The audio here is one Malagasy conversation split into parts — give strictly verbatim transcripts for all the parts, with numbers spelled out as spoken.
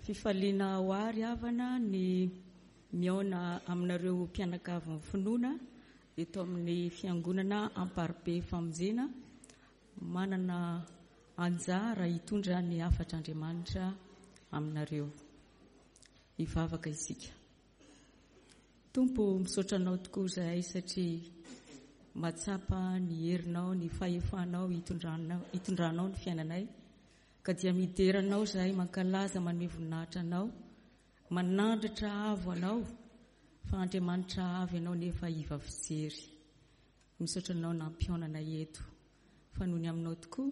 Fifaliana ho ahy ry havana ny mihaona aminareo mpianakavin'ny finoana eto amin'ny fiangonana Amparibe Famonjena, manana anjara hitondra ny hafatr'Andriamanitra aminareo. Hivavaka isika. Tompo, misaotra anao tokoa izahay satria mahatsapa ny herinao, ny fahefanao hitondranao, hitondranao ny fiainanay. Ka dia midera anao izahay, mankalaza, manome voninahitra anao, manandratra avo anao, fa Andriamanitra avo ianao nefa iva fijery. Misaotra anao nampihaonana eto, fa noho ny aminao tokoa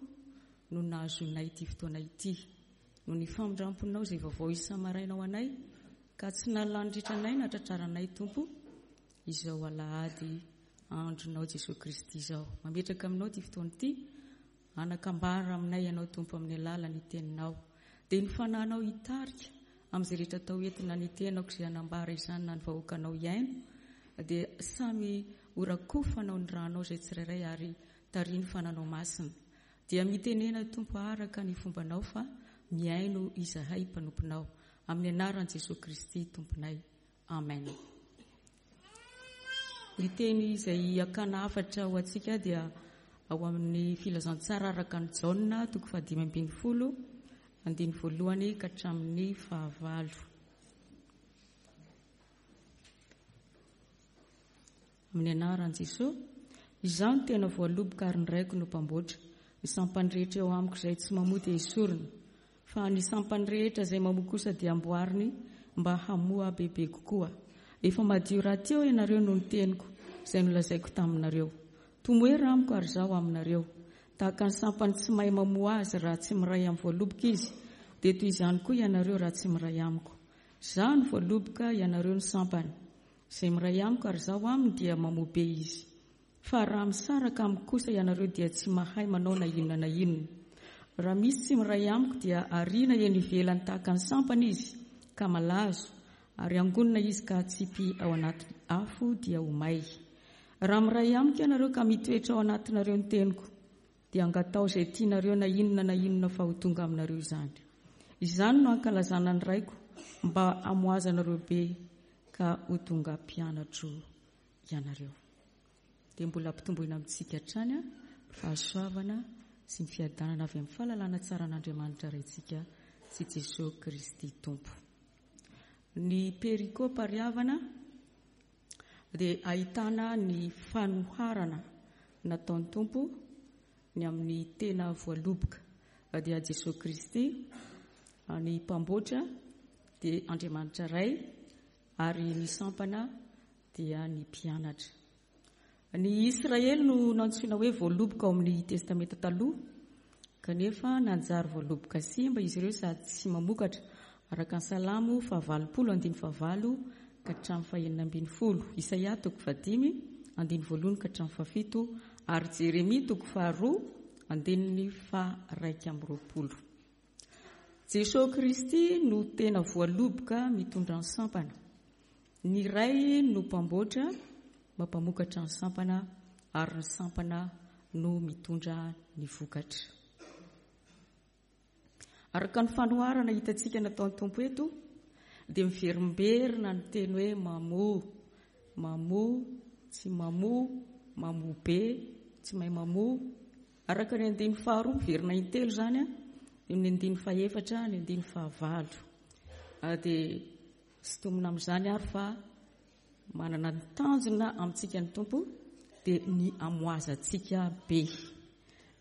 no nahazoanay ity fotoana ity, noho ny famindramponao izay vaovao isa-maraina ho anay, ka tsy nahalaniritra anay na tratraranay, Tompo, izao alahady andronao Jesoa Kristy izao. Mametraka aminao ity fotoana ity, anakambara aminay ianao, Tompo, amin'ny alalan'ny teninao. Dia ny fananao hitarika amin'izay rehetra atao entina ny tenako izay hanambara izany na ny vahoakanao hiaino, dia samy horakofanao ny ranao izay tsirairay ary tarihin'ny fananao masina. Dia mitenena, Tompo, araka ny fombanao fa mihaino izahay mpanomponao. Amin'ny anaran'i Jesoa Kristy Tomponay. Amen. Ny teny izay hakana hafatra ho antsika dia ao amin'ny filazantsara araka ny Jaona toko fahadimy ambin'ny folo, andininy voalohany ka hatramin'ny fahavalo. Amin'ny anaran'i Jesoa, izaho no tena voaloboka ary ny raiko no mpamboatra. Ny sampany rehetra eo amiko izay tsy mamoa dia esorina, fa ny sampany rehetra izay mamoa kosa dia amboariny mba hamoa bebe kokoa. Efa madio rahateo ianareo noho ny teniko izay nolazaiko taminareo. Tomoera amiko ary izaho aminareo. Tahaka ny sampany tsy mahay mamoa azy raha tsy miray amin'ny voaloboka izy, dia toy izany koa ianareo raha tsy miray amiko. Izaho no voaloboka, ianareo no sampany. Izay miray amiko ary izaho aminy dia mamoa be izy. Fa raha misaraka amiko kosa ianareo dia tsy mahay manao na inona na inona. Raha misy tsy miray amiko dia ariana eny ivelany tahaka ny sampana izy ka malazo, ary angonina izy ka atsipy ao anaty afo dia ho may. Raha miray amiko ianareo ka mitoetra ao anatinareo ny teniko, dia angatao izay tianareo na inona na inona fa ho tonga aminareo izany. Izany no ankalazana ny raiko mba hamoazanareo be ka ho tonga mpianatro ianareo. Dia mbola ampitomboina amintsika hatrany fahasoavana sy ny fiadanana avy amin'ny fahalalana tsara an'Andriamanitra Raintsika sy Jesoa Kristy Tompo. Ny perikopa ry havana dia ahitana ny fanoharana nataon'ny Tompo ny amin'ny tena voaloboka, dia Jesoa Kristy, ny mpamboatra dia Andriamanitra Ray, ary ny sampana dia ny mpianatra. Ny Israely no nantsoina hoe voaloboka ao amin'ny Testamenta Taloha, kanefa nanjary voaloboka simba izy ireo sady tsy mamokatra, araka ny Salamo fahavalopolo andininy fahavalo ka hatramin'ny fahenina ambin'ny folo, Isaia toko fahadimy andininy voalohany ka hatramin'ny fahafito, ary Jeremia toko faharoa andininy faharaika amby roapolo. Jesoa Kristy no tena voaloboka mitondra ny sampana. Ny Ray no mpamboatra mampamokatra ny sampana, ary ny sampana no mitondra ny vokatra. Araka ny fanoharana hitantsika nataon'ny Tompo eto, dia miverimberina ny teny hoe mamoa, mamoa, tsy mamoa, mamoa be, tsy mahay mamoa. Araka ny andininy faharoa, miverina intelo izany, ny andininy fahefatra, ny andininy fahavalo. Dia sintomina amin'izany ary fa manana ny tanjona amintsika ny Tompo, dia ny hamoazantsika be,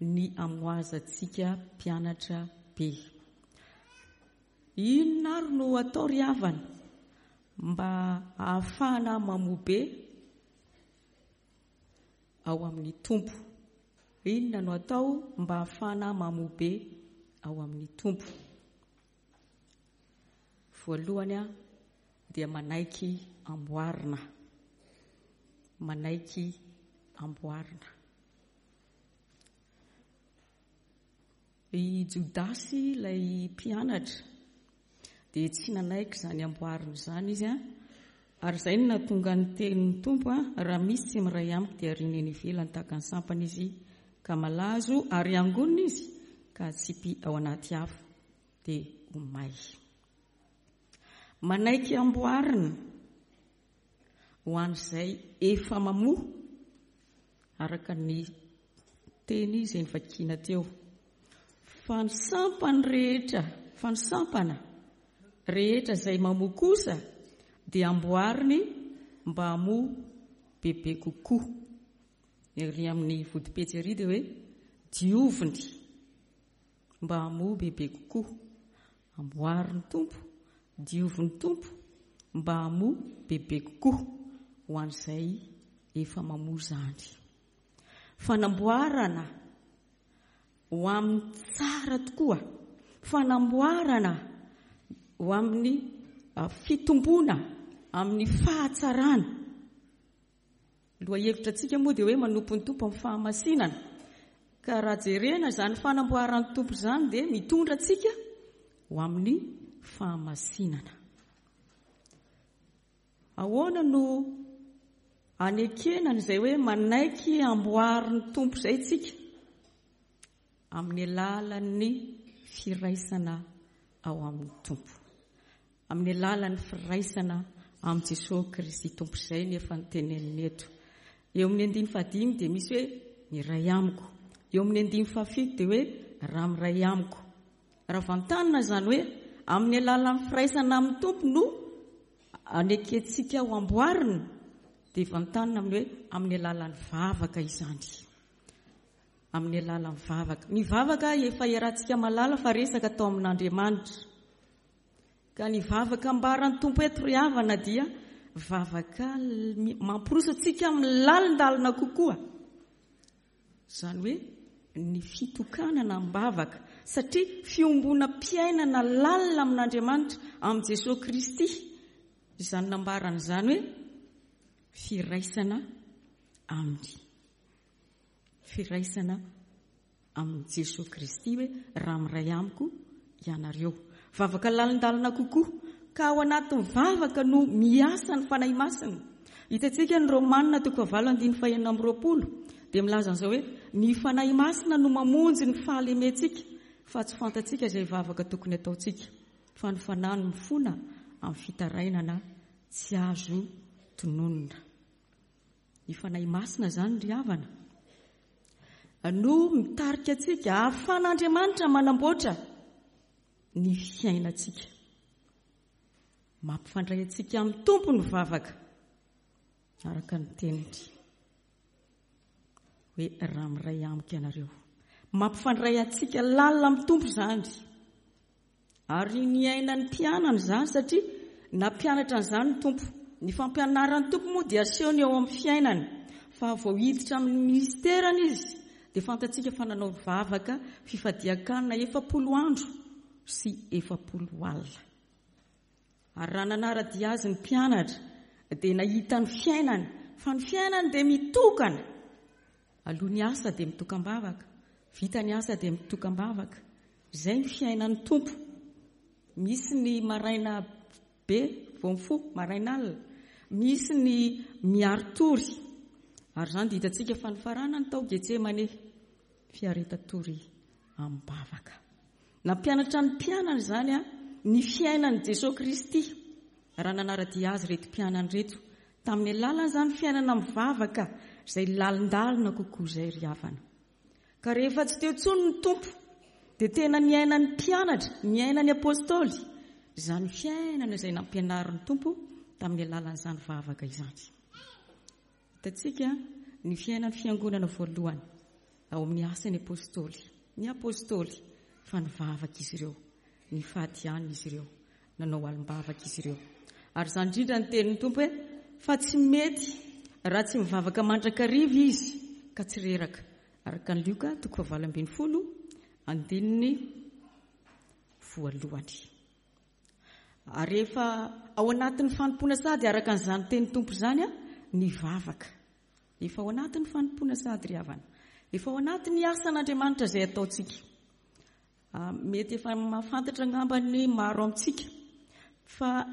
ny hamoazantsika mpianatra be. Inona ary no atao ry havana mba hahafahana mamoa be ao amin'ny Tompo? Inona no atao mba hahafahana mamoa be ao amin'ny Tompo? Voalohany dia manaiky amboarina. Manaiky amboarina. I Jodasy ilay mpianatra dia tsy nanaiky izany amboarina izany izy, ary izay no nahatonga ny tenin'ny Tompo, raha misy tsy miray amiko dia ariana eny ivelany tahaka ny sampana izy ka malazo, ary angonina izy ka atsipy ao anaty afo dia ho may. Manaiky amboarina ho an'izay efa mamoa, araka ny teny izay novakiana teo. Fa ny sampany rehetra, fa ny sampana rehetra izay mamoa kosa dia amboariny mba hamoa bebe kokoa. Ery amin'ny vodipetsy ery dia hoe dioviny mba hamoa bebe kokoa. Amboarin'ny Tompo, diovin'ny Tompo mba hamoa bebe kokoa ho an'izay efa mamoa izany. Fanamboarana ho amin'ny tsara tokoa, fanamboarana ho amin'ny fitomboana, amin'ny fahatsarana. Lohahevitra antsika moa dia hoe manompo ny Tompo amin'ny fahamasinana. Ka raha jerena izany fanamboaran'ny Tompo izany dia mitondra antsika ho amin'ny fahamasinana. Ahoana no anekena an'izay hoe manaiky amboarin'ny Tompo izay tsika? Amin'ny alalan'ny firaisana ao amin'ny Tompo. Amin'ny alalan'ny firaisana amin'i Jesosy Kristy Tompo izay ny efa noteneniny eto. Eo amin'ny andininy fahadimy dia misy hoe miray amiko. Eo amin'ny andininy fahafito dia hoe raha miray amiko. Raha vantanina izany hoe amin'ny alalan'ny firaisana amin'ny Tompo no anekentsika ho amboarina, dia vantanina amin'ny hoe amin'ny alalan'ny vavaka izany. Amin'ny alalan'ny vavaka. Ny vavaka efa iarahantsika malala fa resaka atao amin'Andriamanitra. Ka ny vavaka ambaran'ny Tompo eto ry havana dia vavaka mampiroso antsika amin'ny lalindalina kokoa. Izany hoe ny fitokanana am-bavaka, satria fiombonam-piainana lalina amin'Andriamanitra, amin'i Jesosy Kristy. Izany nambarany izany hoe firaisana aminy. Firaisana amin'i Jesosy Kristy hoe raha miray amiko ianareo. Vavaka lalindalina kokoa, ka ao anatin'ny vavaka no miasa ny Fanahy Masina. Hitantsika ny Romanina toko fahavalo andininy fahenina amby roapolo dia milaza an'izao hoe ny Fanahy Masina no mamonjy ny fahalementsika, fa tsy fantatsika izay vavaka tokony ataontsika, fa ny Fanahy no mifona amin'ny fitarainana tsy azo tononina. Ny Fanahy Masina izany ry havana no mitarika antsika ahafahan'Andriamanitra manamboatra ny fiainantsika. Mampifandray antsika amin'ny Tompo ny vavaka araka ny teniny hoe raha miray amiko ianareo. Mampifandray antsika lalina amin'ny Tompo izany. Ary niainan'ny mpianany izany satria nampianatra an'izany ny Tompo. Ny fampianaran'ny Tompo moa dia asehony eo amin'ny fiainany. Fa vao hiditra amin'ny ministerany izy dia fantatsika fa nanao vavaka fifadian-kanina efapolo andro sy efapolo alina. Ary raha nanara-dia azy ny mpianatra dia nahita ny fiainany, fa ny fiainany dia mitokana. Aloha ny asa dia mitokam-bavaka, vita ny asa dia mitokam-bavaka. Izay ny fiainan'ny Tompo. Misy ny maraina be vao mifoha, maraina alina. Misy ny miaritory. Ary izany dia hitantsika fa nifaranany tao Getsemane, fiaretan-tory am-bavaka. Nampianatra ny mpianany izany a ny fiainan'i Jesosy Kristy raha nanara-dia azy ireto mpianany ireto. Tamin'ny alalan'izany fiainana mivavaka izay lalindalina kokoa izay ry havana. Ka rehefa tsy teo intsony ny Tompo dia tena niainan'ny mpianatra, niainan'ny apôstôly izany fiainana izay nampianarin'ny Tompo tamin'ny alalan'izany vavaka izany. Hitantsika ny fiainan'ny fiangonana voalohany ao amin'ny asan'ny apôstôly. Ny apôstôly fa nivavaka izy ireo, nifady ihany izy ireo, nanao alim-bavaka izy ireo. Ary izany indrindra ny tenin'ny Tompo hoe fa tsy mety raha tsy mivavaka mandrakariva izy ka tsy reraka. Araka ny Lioka toko fahavalo ambin'ny folo andininy voalohany. Ary rehefa ao anatin'ny fanompoana sady araka an'izany tenin'ny Tompo izany a ny vavaka. Efa ao anatin'ny fanompoana sady ry havana. Efa ao anatin'ny asan'Andriamanitra izay ataontsika. Mety efa mahafantatra angamba ny maro amintsika fa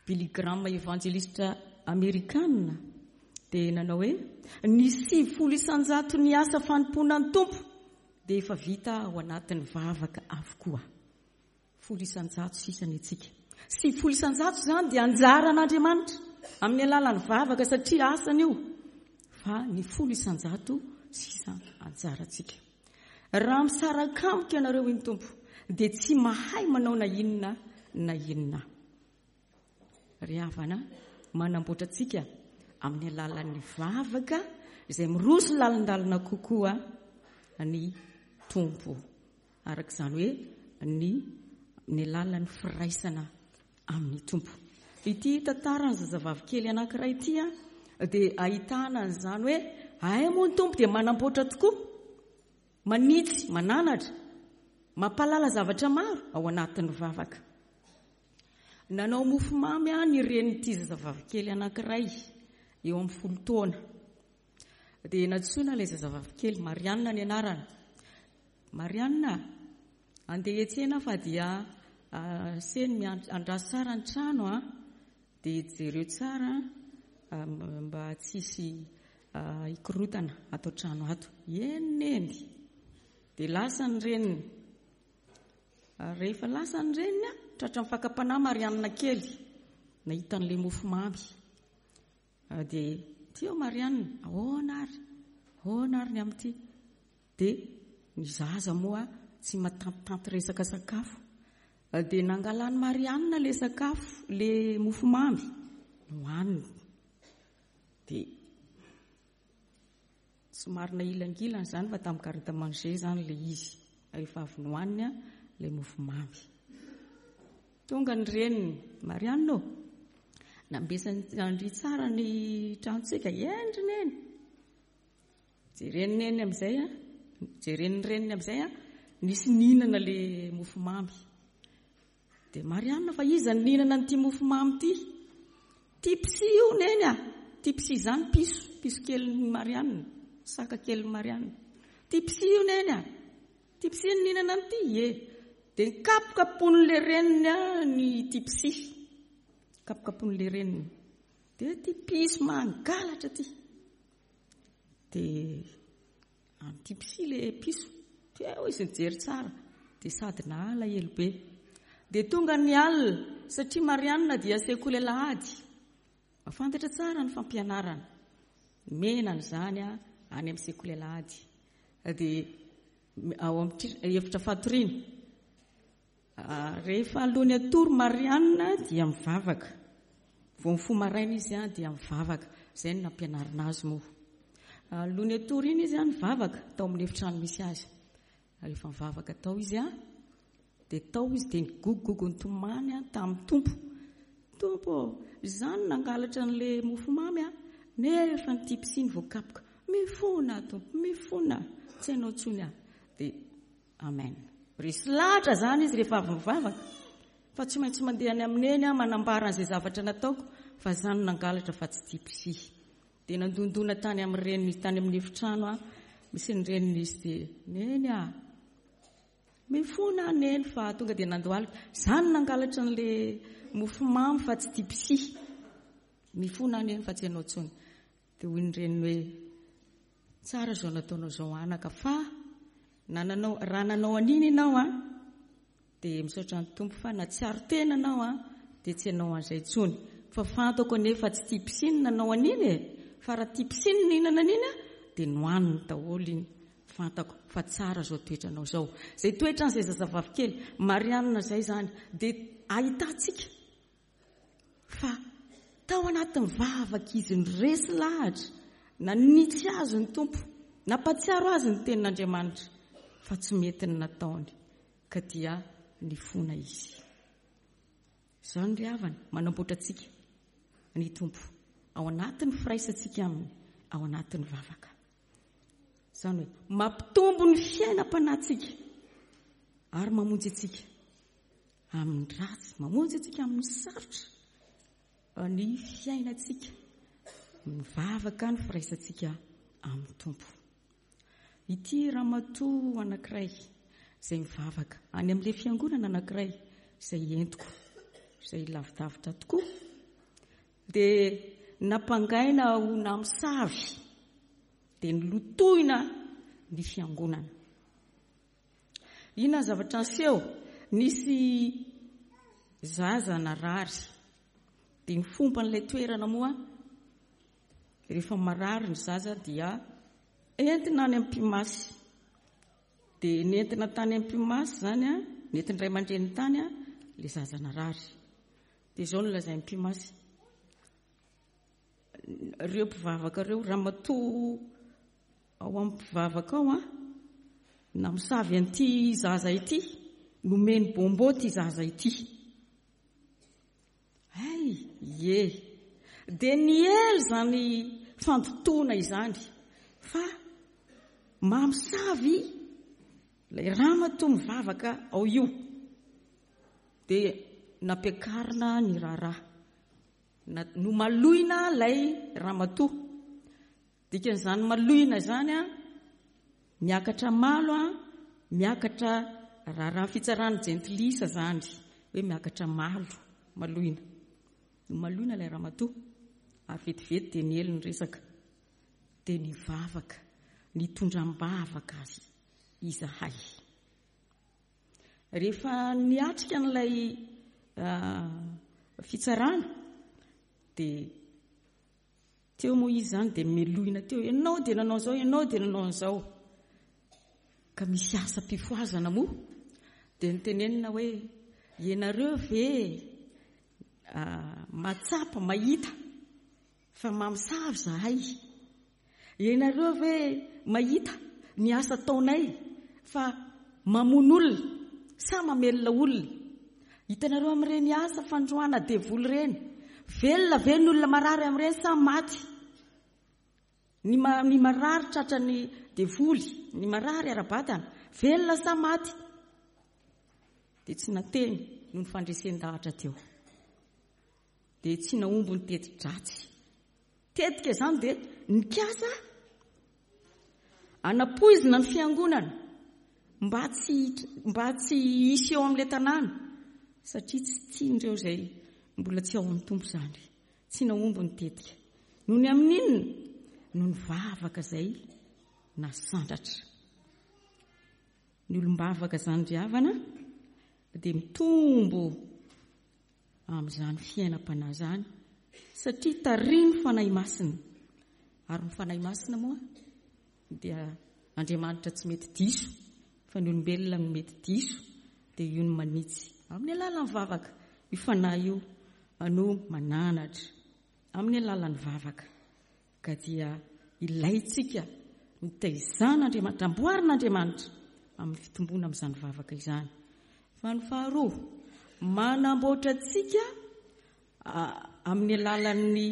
Billy Graham evanjelista amerikana dia nanao hoe ny sivifolo isanjato ny asa fanompoana ny Tompo dia efa vita ao anatin'ny vavaka avokoa. Folo isanjato sisa ny antsika. Sivifolo isan-jato izany dia anjaran'Andriamanitra amin'ny alalan'ny vavaka satria asany io, fa ny folo isan-jato sisa anjarantsika. Raha misaraka amiko ianareo, hoy ny Tompo, dia tsy mahay manao na inona na inona. Ry havana, manamboatra antsika amin'ny alalan'ny vavaka izay miroso lalindalina kokoa ny Tompo. Araka izany hoe ny ny alalan'ny firaisana amin'ny Tompo. Ity tantaran'ny zazavavy kely anankiray ity dia ahitana an'izany hoe ay moa ny Tompo dia manamboatra tokoa, manitsy, mananatra, mampahalala zavatra maro ao anatin'ny vavaka. Nanao mofomamy ny renin'ity zazavavy kely anankiray eo amin'ny folo taona. Dia nantsoina ilay zazavavy kely, Marianina ny anarany. Marianina, andeha hiantsena fa dia seny miandraso tsara ny trano a, dia jereo tsara mba tsisy hikorotana ato an-trano ato. Eny neny. Dia lasa ny reniny. Rehefa lasa ny reniny, tratra ny fakam-panahy Marianina kely, nahita an'ilay mofomamy. Dia tio Marianina, ahoana ary? Ahoana ary ny amin'ity? Dia ny zaza moa tsy matantitanty resaka sakafo. Dia nangalan'i Marianina ilay sakafo, ilay mofomamy, nohaniny. Dia somary nahilangilana izany fa tamin'ny garde manger izany ilay izy. Rehefa avy nohaniny ilay mofomamy. Tonga ny reniny, Marianina ô, nambesan-dry tsara ny tranontsika, endry neny. Jeren'ny neny amin'izay, jeren'ny reniny amin'izay, nisy nihinana ilay mofomamy. Dia Marianina, fa iza no nihinana an'ity mofomamy ity? Tipsy io neny a. Tipsy izany piso, piso kelin'ny Marianina, saka kelin'ny Marianina. Tipsy io neny a. Tipsy no nihinana an'ity, ie. Dia nikapokapoin'ilay reniny ny tipsy. Kapokapoin'ilay reniny. Dia ty piso mangalatra ty. Dia any tipsy ilay piso. Teo izy nijery tsara. Dia sady nalahelo be. Dia tonga ny alina satria Marianina dia sekoly alahady. Mahafantatra tsara ny fampianarana. Menana izany any amin'ny sekoly alahady. Dia ao amin'ny efitra fatoriana. Rehefa alohan'ny hatory Marianina dia mivavaka. Vao mifoha maraina izy dia mivavaka. Izay no nampianarina azy moa. Alohan'ny hatory iny izy nivavaka tao amin'ny efitrano misy azy. Rehefa mivavaka tao izy dia tao izy dia nigogogogo nitomany tamin'ny Tompo. Tompo, izany nangalatra an'ilay mofomamy nefa ny tipsy iny voakapoka. Mifona Tompo, mifona, tsy hainao intsony aho. Dia amen. Resy lahatra izany izy rehefa avy mivavaka. Fa tsy maintsy mandeha any amin'ny neny aho manambara an'izay zavatra nataoko fa izany nangalatra fa tsy tipsy. Dia nandondona tany amin'ny reniny, tany amin'ny efitrano aho, misy ny reniny izy dia neny aho. Mifona neny fa tonga dia nandohalika. Izany nangalatra an'ilay mofomamy fa tsy tipsy. Mifona neny fa tsy hainao intsony. Dia hoy ny reniny hoe tsara izao nataonao izao anaka fa na nanao, raha nanao an'iny ianao a, dia misaotra ny Tompo fa natsiaro tena anao a, dia tsy hanao an'izay intsony. Fa fantako anefa tsy tipsy ny nanao an'iny e. Fa raha tipsy ny nihinana an'iny a, dia nohaniny daholo iny. Fantako fa tsara izao toetranao izao. Izay toetran'izay zazavavy kely Marianina izay izany dia ahitantsika fa tao anatin'ny vavaka izy niresy lahatra, nanitsy azy ny Tompo, nampatsiaro azy ny tenin'Andriamanitra fa tsy mety ny nataony ka dia nifona izy. Izany ry havana manamboatra antsika ny Tompo ao anatin'ny firaisantsika aminy, ao anatin'ny vavaka. Izany hoe mampitombo ny fiainam-panahintsika ary mamonjy antsika amin'ny ratsy, mamonjy antsika amin'ny sarotra ny fiainantsika, mivavaka ny firaisantsika amin'ny Tompo. Ity ramatoa anankiray izay mivavaka any amin'ilay fiangonana anankiray izay entiko, izay lavidavitra tokoa, dia nampangaina ho namosavy, dia nilotoina ny fiangonana. Inona ny zavatra niseho? Nisy Zaza narary. Dia ny fomban'ilay toerana moa, rehefa marary ny zaza dia entina any amin'ny mpimasy. Dia nentina tany amin'ny mpimasy izany, nentin'ny ray aman-dreniny tany ilay zaza narary. Dia izao no lazain'ny mpimasy. Ireo mpivavaka ireo, ramatoa ao amin'ny mpivavaka ao, namosavy an'ity zaza ity, nomeny bonbon ity zaza ity. Ay, ie. Dia niely izany fandotoana izany fa mamosavy ilay ramatoa mivavaka ao io. Dia nampiakarina ny raharaha. Nomaloina ilay ramatoa. Dikan'izany maloina izany a, miakatra malo a, miakatra raharaha fitsarana jentilisa izany, hoe miakatra malo, maloina. Nomaloina ilay ramatoa ary vetivety dia niely ny resaka. Dia nivavaka, nitondra am-bavaka azy izahay. Rehefa niatrika an'ilay fitsarana dia teo moa izy izany dia meloina teo, ianao dia nanao izao, ianao dia nanao an'izao. Ka misy asam-pifohazana moa dia nitenenina hoe ianareo ve mahatsapa, mahita fa mamosavy zahay? Ianareo ve mahita ny asa ataonay fa mamono olona sa mamelona olona? Hitanareo amin'ireny asa fandroana devoly ireny, velona ve ny olona marary amin'ireny sa maty? Ny ma-, ny marary tratran'ny devoly, ny marary ara-batana, velona sa maty? Dia tsy nateny noho ny fandresen-dahatra teo. Dia tsy nahomby ny teti-dratsy. Tetika izany dia nikasa anapoizina ny fiangonana mba tsy, mba tsy hisy eo amin'ilay tanàna, satria tsy tian'ireo izay mbola tsy ao amin'ny Tompo izany. Tsy nahomby ny tetika. Noho ny amin'inona? Noho ny vavaka izay nasandratra. Ny olom-bavaka izany ry havana dia mitombo amin'izany fiainam-panahy izany, satria tarihin'ny Fanahy Masina. Ary ny Fanahy Masina moa dia Andriamanitra tsy mety diso, fa ny olombelona no mety diso, dia io no manitsy amin'ny alalan'ny vavaka. Io Fanahy io no mananatra amin'ny alalan'ny vavaka. Ka dia ilaintsika nitaizan'Andriamanitra, amboarin'Andriamanitra amin'ny fitomboana amin'izany vavaka izany. Fa ny faharoa, manamboatra antsika amin'ny alalan'ny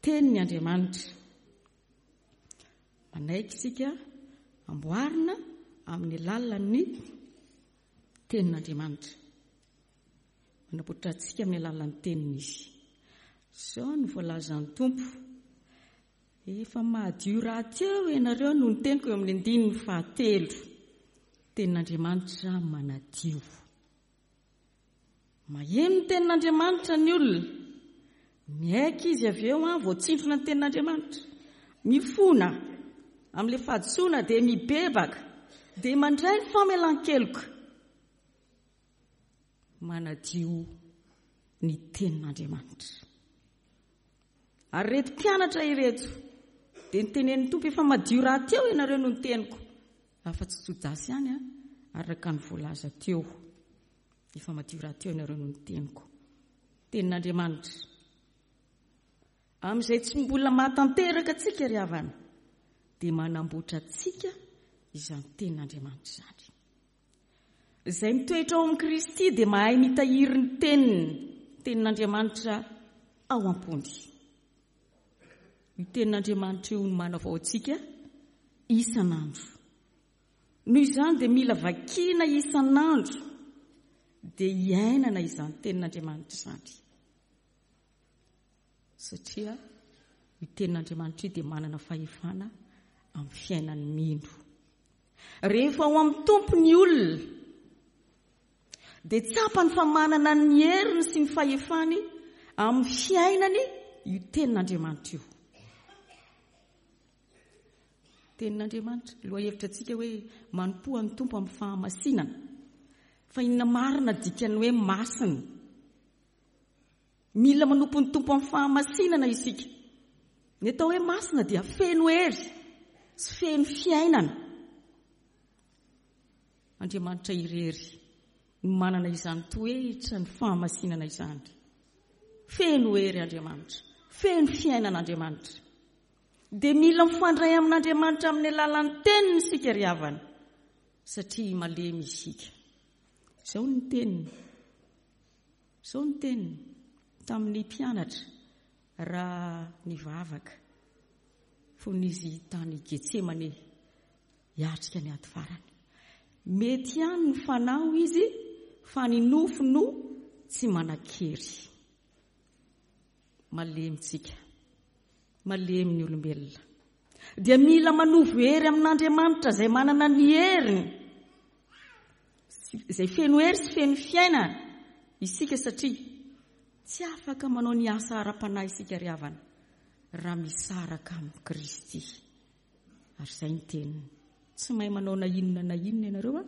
teniny Andriamanitra. Manaiky isika amboarina amin'ny alalan'ny tenin'Andriamanitra. Manamboatra antsika amin'ny alalan'ny teniny izy. Izao no voalazan'ny Tompo. Efa madio rahateo ianareo no niteniko eo amin'ny andininy fahatelo. Tenin'Andriamanitra manadio. Maheno ny tenin'Andriamanitra ny olona. Miaiky izy avy eo, voatsindrona ny tenin'Andriamanitra. Mifona amin'ilay fahadisoana dia mibebaka, dia mandray ny famelan-keloka. Manadio ny tenin'Andriamanitra. Ary ireto mpianatra ireto dia nitenenin'ny Tompo, efa madio rahateo ianareo no niteniko. Afa-tsy Jodasy ihany, araka ny voalaza teo. Efa madio rahateo ianareo no niteniko. Tenin'Andriamanitra. Amin'izay tsy mbola mahatanteraka antsika ry havana, dia manamboatra antsika izany tenin'Andriamanitra izany. Izay mitoetra ao amin'i Kristy dia mahay mitahiry ny teniny, tenin'Andriamanitra ao am-pony. Io tenin'Andriamanitra io no manavao antsika isan'andro. Noho izany dia mila vakiana isan'andro dia iainana izany tenin'Andriamanitra izany. Satria io tenin'Andriamanitra io dia manana fahefana amin'ny fiainan'ny mino. Rehefa ao amin'ny Tompo ny olona dia tsapany fa manana ny heriny sy ny fahefany amin'ny fiainany io tenin'Andriamanitra io. Tenin'Andriamanitra, lohahevitra antsika hoe manompoa ny Tompo amin'ny fahamasinana. Fa inona marina dikan'ny hoe masina? Mila manompo ny Tompo amin'ny fahamasinana isika. Ny atao hoe masina dia feno hery sy feno fiainana. Andriamanitra irery no manana izany toetra ny fahamasinana izany. Feno hery Andriamanitra, feno fiainana Andriamanitra. Dia mila mifandray amin'Andriamanitra amin'ny alalan'ny teniny isika ry havana, satria malemy isika. Izao ny teniny. Izao ny teniny tamin'ny mpianatra raha nivavaka fony izy tany Getsemane hiatrika ny ady farany. Mety ihany ny fanahy izy fa ny nofo no tsy manan-kery. Malemy tsika, malemy ny olombelona. Dia mila manovo hery amin'Andriamanitra izay manana ny heriny, izay feno hery sy feno fiainana isika, satria tsy afaka manao ny asa ara-panahy isika ry havana raha misaraka amin'i Kristy. Ary izay ny teniny. Tsy mahay manao na inona na inona ianareo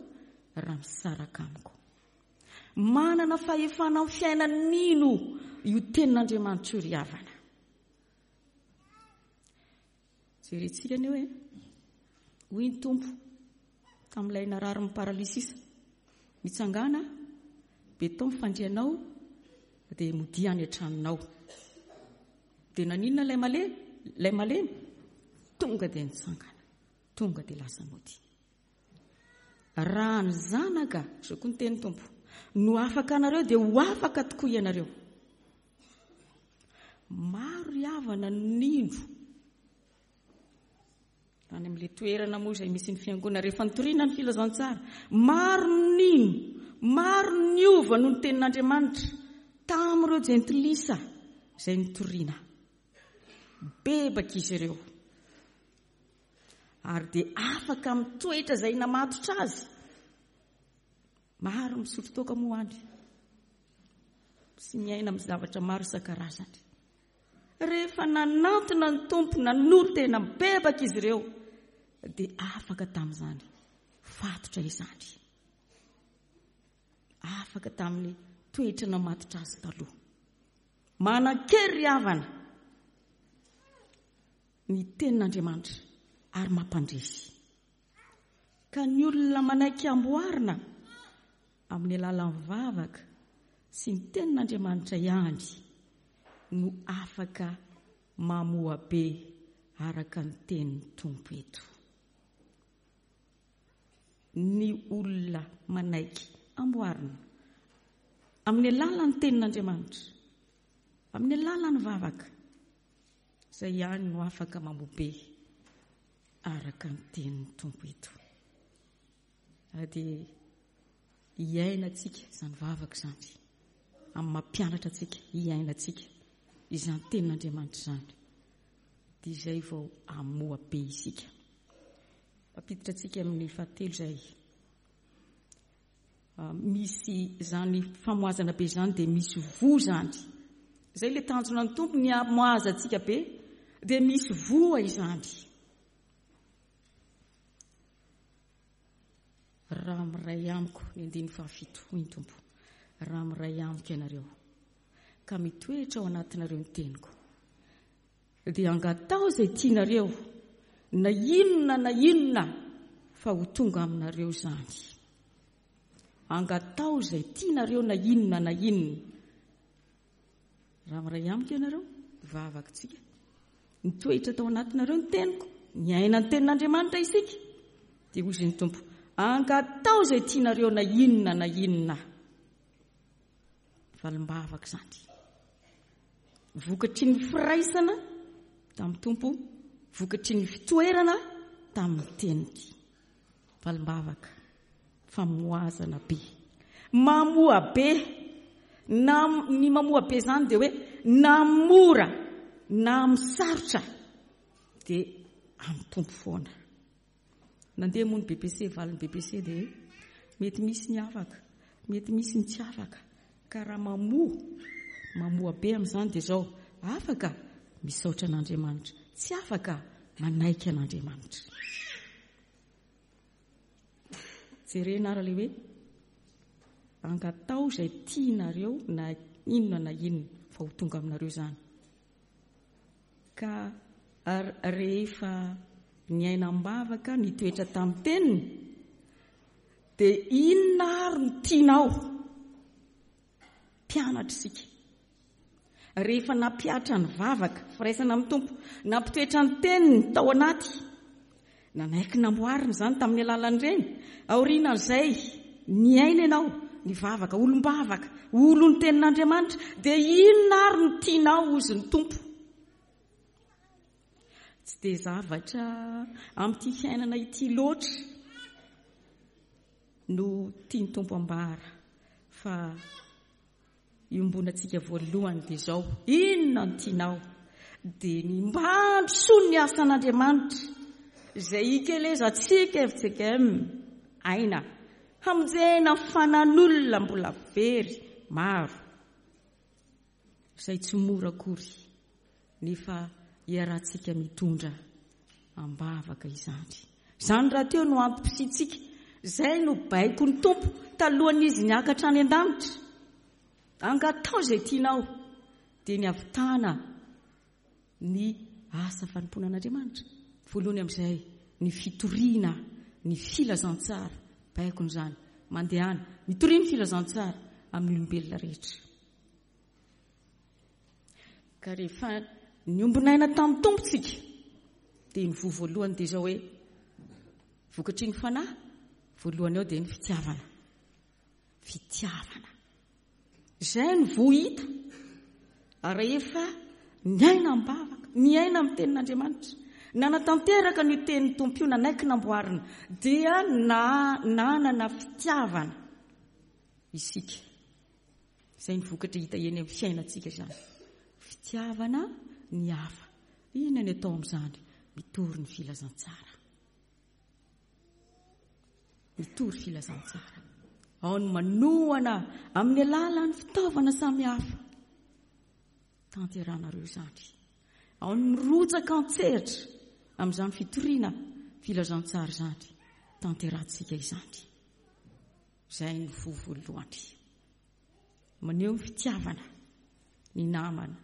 raha misaraka amiko. Manana fahefana amin'ny fiainan'ny mino io tenin'Andriamanitra io ry havana. Jerentsika anie hoe hoy ny Tompo tamin'ilay narary ny paralysisa, mitsangàna, beton fandrianao, dia modia any an-tranonao. Dia naninona ilay malemy? Ilay malemy tonga dia nitsangana, tonga dia lasa mody. Raha ny zanaka, izao koa ny teny Tompo, no afaka anareo dia ho afaka tokoa ianareo. Maro ry havana nino any amin'ilay toerana moa izay misy ny fiangonana rehefa nitoriana ny filazantsara. Maro nino, maro niova noho ny tenin'Andriamanitra tamin'ireo jentilisa izay nitoriana. Bebaka izy ireo ary dia afaka amin'ny toetra izay namatotra azy. Maro misotro toaka moa any sy miaina amin'ny zavatra maro isan-karazany. Rehefa nanantona ny Tompo, nanolo tena mibebaka izy ireo, dia afaka tamin'izany fatotra izany. Afaka tamin'ny toetra namatotra azy taloha. Manan-kery ry havana ny tenin'Andriamanitra ary mampandresy. Ka ny olona manaiky amboarina amin'ny alalan'ny vavaka sy ny tenin'Andriamanitra ihany no afaka mamoa be araka ny tenin'ny Tompo eto. Ny olona manaiky amboarina amin'ny alalan'ny tenin'Andriamanitra, amin'ny alalan'ny vavaka, izay ihany no afaka mamoa be araka ny tenin'ny Tompo eto. Ary dia hiainantsika izany vavaka izany, amin'ny mampianatra antsika hiainantsika izany tenin'Andriamanitra izany, dia izay vao hamoa be isika. Mampiditra antsika amin'ny fahatelo izay. Misy izany famoazana be izany dia misy voa izany. Izay ilay tanjona ny Tompo, ny hamoazantsika be dia misy voa izany. Raha miray amiko, ny andininy fahafito, hoy ny Tompo, raha miray amiko ianareo ka mitoetra ao anatinareo ny teniko, dia angatao izay tianareo na inona na inona fa ho tonga aminareo izany. Angatao izay tianareo na inona na inona. Raha miray amiko ianareo, vavaka tsika, nitoetra tao anatinareo ny teniko, niaina ny tenin'Andriamanitra isika, dia hoy ny Tompo, angatao izay tianareo na inona na inona. Valim-bavaka izany. Vokatry ny firaisana tamin'ny Tompo, vokatry ny fitoerana tamin'ny teniny. Valim-bavaka, famoazana be. Mamoa be. Na ny mamoa be izany dia hoe na mora na misarotra dia amin'ny Tompo foana. Nandeha moa ny B P C, valin'ny B P C dia mety misy ny afaka, mety misy ny tsy afaka. Ka raha mamoa, mamoa be amin'izany dia izao, afaka misaotra an'Andriamanitra, tsy afaka manaiky an'Andriamanitra. Jerena ary ilay hoe angatao izay tianareo na inona na inona fa fa ho tonga aminareo izany. Ka rehefa niaina am-bavaka, nitoetra tamin'ny teniny, dia inona ary no tianao? Mpianatra isika. Rehefa nampihatra ny vavaka, firaisana amin'ny Tompo, nampitoetra ny teniny tao anaty, nanaiky namboarina izany tamin'ny alalan'ireny, aorianan'izay niaina ianao, nivavaka, olom-bavaka, olon'ny tenin'Andriamanitra, dia inona ary no tianao hozy ny Tompo? Tsy dia zavatra amin'ity fiainana ity loatra no tian'ny Tompo ambara, fa iombonantsika voalohany dia izao, inona no tianao? Dia ny mba handrosoan'ny ny asan'Andriamanitra izay ikelezantsika F C K M aina, hamonjena fanan'olona mbola very maro, izay tsy mora akory, nefa iarahantsika mitondra am-bavaka izany. Izany rahateo no antom-pisiantsika, izay no baikon'ny Tompo talohan'izy niakatra any an-danitra. Angatao izay tianao, dia ny havitana ny asa fanompoanan'Andriamanitra. Voalohany amin'izay ny fitoriana ny filazantsara, baikony izany, mandehana mitoria ny filazantsara amin'ny olombelona rehetra. Ka rehefa niombon'aina tamin'ny Tompo tsika, dia ny voa voalohany dia izao hoe vokatry ny fanahy voalohany ao dia ny fitiavana. Fitiavana. Izay ny voa hita rehefa niaina am-bavaka, niaina amin'ny tenin'Andriamanitra, nanatanteraka ny tenin'ny Tompo io, nanaiky namboarina, dia na, nanana fitiavana isika. Izay ny vokatra hita eny amin'ny fiainantsika izany. Fitiavana ny hafa. Inona ny atao amin'izany? Mitory ny filazantsara. Mitory filazantsara. Ao ny manohana amin'ny alalan'ny fitaovana samihafa. Tanteranareo izany. Ao ny mirotsaka an-tsehatra amin'izany fitoriana filazantsara izany. Tanterahantsika izany. Izay ny voa voalohany. Maneho ny fitiavana ny namana,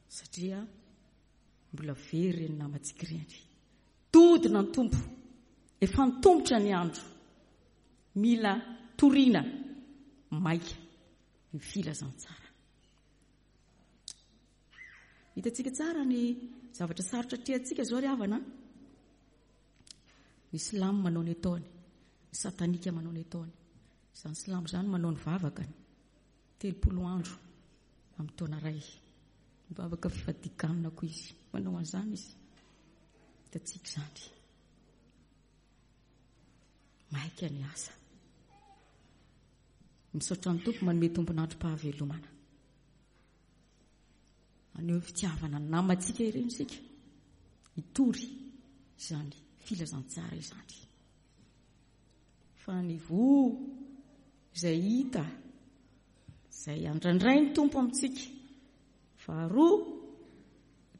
satria mbola very ireny namantsika ireny. Todina ny Tompo, efa nitombotra ny andro, mila toriana maika ny filazantsara. Hitantsika tsara ny zavatra sarotra atrehantsika izao ry havana. Ny silamo manao ny ataony, ny satanika manao ny ataony. Izany silamo izany manao ny vavakany telopolo andro amin'ny taona iray. Mivavaka fifadikanina koa izy, manao an'izany izy. Hitantsika izany. Maika ny asa. Misaotra ny Tompo manome tompon'androm-pahavelomana. Haneho fitiavana ny namantsika ireny isika. Hitory izany filazantsara izany. Fa ny voa izay hita, izay andrandrain'ny Tompo amintsika. Faharoa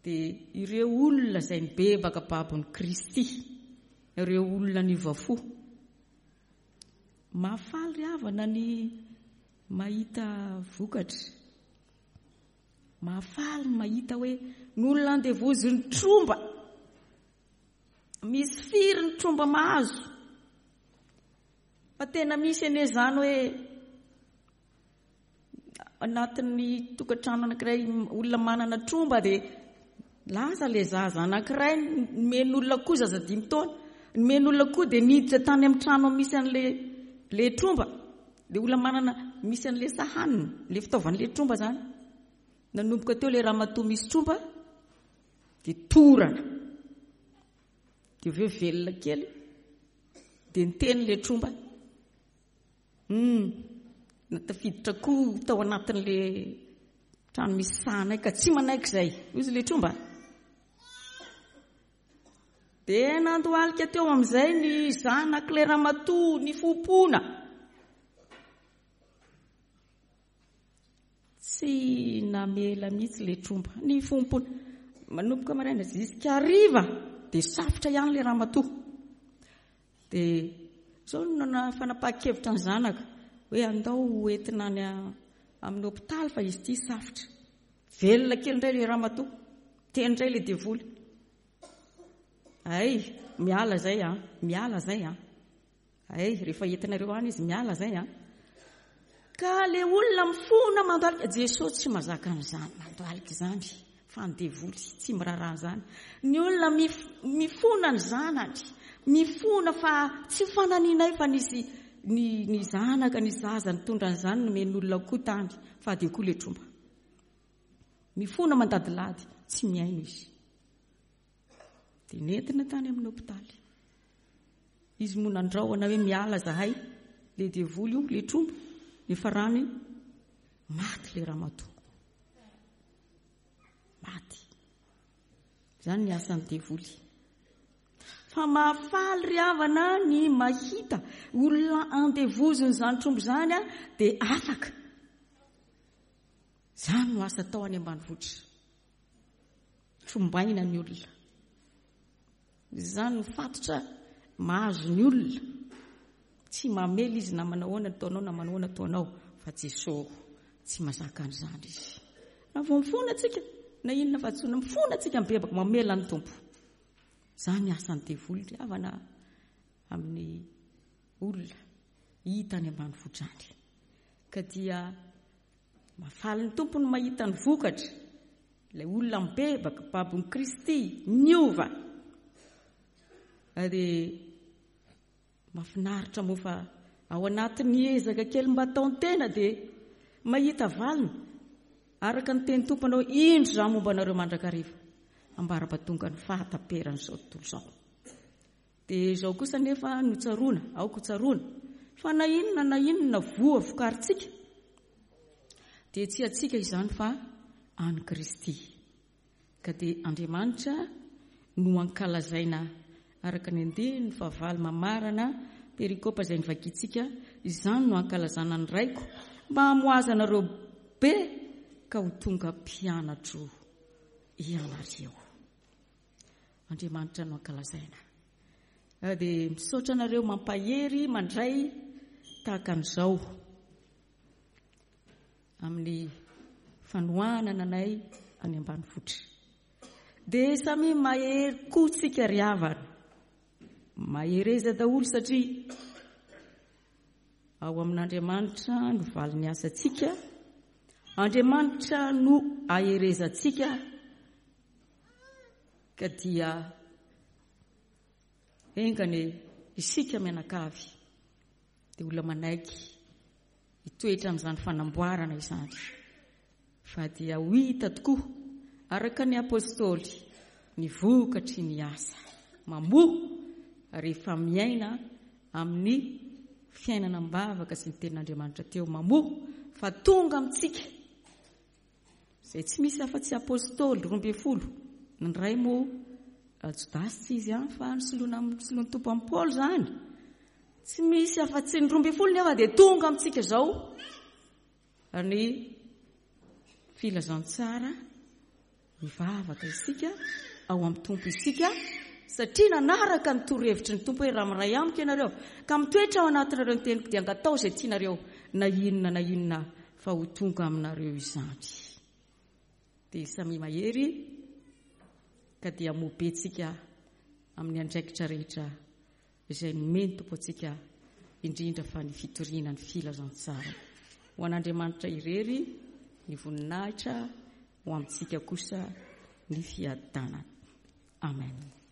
dia ireo olona izay nibebaka babon'i Kristy, ireo olona niova fo. Mahafaly ry havana ny mahita vokatra. Mahafaly ny mahita hoe ny olona andevozin'ny tromba, misy firy ny tromba mahazo. Fa tena misy anie izany hoe anatin'ny tokantrano anankiray olona manana tromba dia lasa ilay zaza anankiray nomen'olona koa, zaza dimy taona, nomen'olona koa dia niditra tany amin'ny trano misy an'ilay ilay tromba, ilay olona manana misy an'ilay sahanina, ilay fitaovan'ilay tromba izany. Nanomboka teo ilay ramatoa misy tromba dia torana, dia avy eo velona kely dia niteny ilay tromba. Hmm, natafiditra koa tao anatin'ilay trano misy sahanay ka tsy manaiky izay, hoy izy ilay tromba. Dia nandohalika teo amin'izay ny zanak'ilay ramatoa nifompona. Tsy namela mihitsy ilay tromba, nifompona. Manomboka maraina jusqu'à hariva dia safotra ihany ilay ramatoa. Dia izao no nana fanapahan-kevitra ny zanaka hoe andao ho entina any amin'ny hopitaly fa izy ity safotra. Velona kely indray le ramatoa, teny indray le devoly. Ay, miala zay a, miala zay a. Ay, rehefa entinareo any izy miala zay a. Ka le olona mifona mandohalika, Jesosy tsy mazaka an'izany mandohalika izany, fa ny devoly tsy miraharaha an'izany. Ny olona mifona ny zanany, mifona fa tsy fananinay fa nisy ny ny zanaka, ny zaza nitondra an'izany nomen'olona koa tany, fa dia koa le tromba. Mifona mandadilady, tsy mihaino izy. Dia nentina tany amin'ny hopitaly. Izy moa nandrahona hoe miala zahay, le devoly io, le tromba, efa rany maty le ramatoa. Maty. Izany ny asan'ny devoly. Fa mahafaly ry havana ny mahita olona andevozin'izany tromba izany a, dia afaka. Izany no asa atao any ambanivohitra. Trombaina ny olona. Izany no fatotra mahazo ny olona. Tsy mamely izy na manao ahoana ataonao na manao ahoana ataonao, fa Jesosy tsy mazaka an'izany izy. Na vao mifona antsika, na inona fa tsy mifona antsika mibebaka mamela ny Tompo. Izany asan'ny devoly ry havana amin'ny olona hita any ambanivohitra any. Ka dia mahafaly ny Tompo ny mahita ny vokatra. Ilay olona mibebaka, babon'i Kristy, niova. Ary mahafinaritra moa fa ao anatin'ny ezaka kely mba ataon-tena dia mahita valiny. Araka ny teny Tompo anao, indro izaho momba anareo mandrakariva, ambara-pahatonga ny fahataperan'izao tontolo izao. Dia izao kosa nefa no tsaroana, aoka ho tsaroana, fa na inona na inona voa vokarintsika, dia tsy antsika izany fa an'i Kristy. Ka dia Andriamanitra no ankalazaina araka ny andininy fahavalo mamarana perikopa izay novakintsika, izany no ankalazana ny Raiko, mba hamoazanareo be ka ho tonga mpianatro ianareo. Andriamanitra no ankalazaina. Dia misaotra anareo mampahery mandray tahaka an'izao amin'ny fanohanana anay any ambanivohitra. Dia samy mahery koa tsika ry havana. Mahereza daholo satria ao amin'Andriamanitra no valin'ny asantsika. Andriamanitra no aherezantsika. Ka dia engane isika mianakavy dia olona manaiky hitoetra amin'izany fanamboarana izany. Fa dia ho hita tokoa araka ny apôstôly ny vokatry ny asa mamoa rehefa miaina amin'ny fiainana am-bavaka sy ny tenin'Andriamanitra teo mamoa fa tonga amintsika izay tsy misy afa-tsy apôstôly roa ambin'ny folo. Ny iray moa Jodasy tsy izy ihany fa nisoloana nisoloan'ny Tompo amin'i Paoly izany. Tsy misy afa-tsy ny roa ambin'ny folo nefa dia tonga amintsika izao ny filazantsara. Mivavaka isika ao amin'ny Tompo isika satria nanaraka ny torohevitry ny Tompo hoe raha miray amiko ianareo ka mitoetra ao anatinareo ny teniko dia angatao izay tianareo na inona na inona fa ho tonga aminareo izany. Dia samy mahery ka dia mobetsika amin'ny andraikitra rehetra izay nomeny Tompo antsika, indrindra fa ny fitoriana ny filazantsara. Ho an'Andriamanitra irery ny voninahitra, ho amintsika kosa ny fiadanana. Amen.